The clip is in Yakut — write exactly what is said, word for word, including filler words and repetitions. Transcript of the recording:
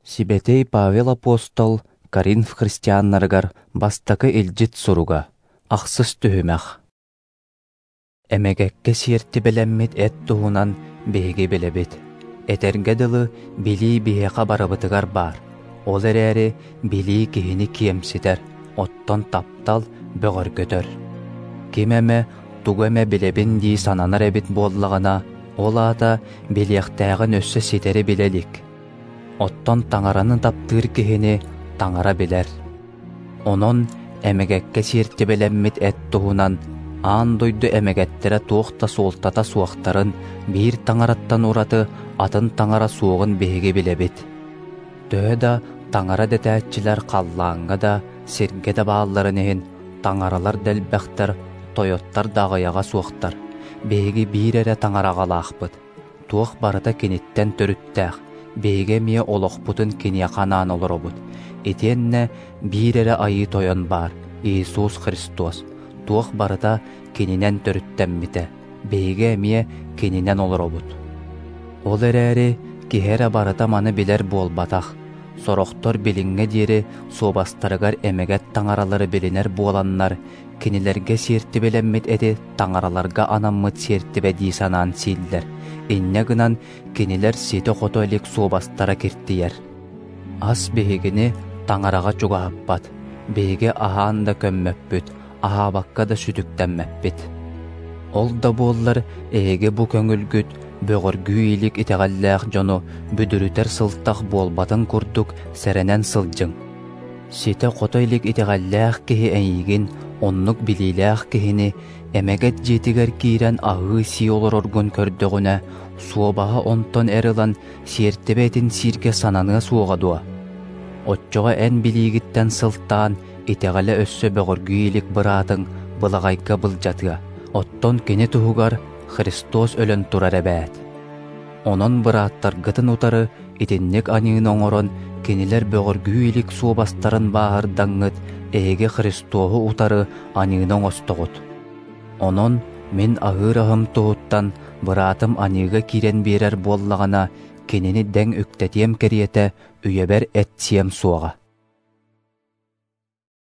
Сибэтиэй Павел апостол Коринф христианнарыгар бастакы илдьит суруга, ахсыс түһүмэх. Эмэгэккэ сиэртибэлэммит эт туһунан биһиги билэбит. Этэргэ дылы, билии биһиэхэ барыбытыгар баар. Ол эрээри билии киһини киэмситэр, оттон таптал бөҕөргөтөр. Ким эмэ тугу эмэ билэбин дии сананар эбит буоллаҕына, ол аата билиэхтээҕин өссө ситэри билэ илик. Оттон Таҥараны таптыыр киһини Таҥара билэр. Онон эмэгэккэ сиэртибэлэммит эт туһунан аан дойду эмэгэттэрэ туох да суолтата суохтарын, биир Таҥараттан ураты атын Таҥара суоҕун биһиги билэбит. Төһө да Таҥара дэтээччилэр халлааҥҥа да, сиргэ да баалларын иһин, таҥаралар да элбэхтэр, тойоттор да аҕыйаҕа суохтар. Биһиги биир эрэ Таҥараҕалаахпыт. Туох барыта киниттэн төрүттээх, биһиги эмиэ олохпутун киниэхэ анаан олоробут. Итиэннэ биир эрэ Айыы Тойон баар, Иисус Христос. Туох барыта кининэн төрүттэммитэ, биһиги эмиэ кининэн олоробут. Ол эрээри киһи эрэ барыта маны билэр буолбатах. Сорохтор билиҥҥэ диэри суобастарыгар эмэгэт таҥаралары билинэр буоланнар, кинилэргэ сиэртибэлэммит эти таҥараларга анаммыт сиэртибэ дии санаан сииллэр. Инньэ гынан кинилэр ситэ-хото илик суобастара киртийэр. Ас биһигини таҥараҕа чугаһаппат, биһиги аһаан да көммөппүт, аһаабакка да сүтүктэммэппит. Ол да буоллар эһиги бу көҥүлгүт бөҕөргүү илик итэҕэллээх дьону бүдүрүтэр сылтах буолбатын курдук сэрэнэн сылдьыҥ. Ситэ-хото илик итэҕэллээх киһи эйигин, оннук билиилээх киһини, эмэгэт дьиэтигэр киирэн аһыы-сии олороргун көрдөҕүнэ, суобаһа онтон эр ылан сиэртибэ этин сииргэ сананыа суоҕа дуо? Оччоҕо эн билиигиттэн сылтаан итэҕэлэ өссө бөҕөргүү илик быраатыҥ былаҕайга былдьатыа, оттон кини туһугар Христос өлөн турар эбээт. Онон бырааттаргытын утары итинник аньыыны оҥорон, кинилэр бөҕөргүү илик суобастарын бааһырдаҥҥыт, эһиги Христоһу утары аньыыны оҥостоҕут. Онон мин аһыыр аһым туһуттан быраатым аньыыга киирэн биэрэр буоллаҕына, кинини дэҥ үктэтиэм кэриэтэ үйэбэр эт сиэм суоҕа.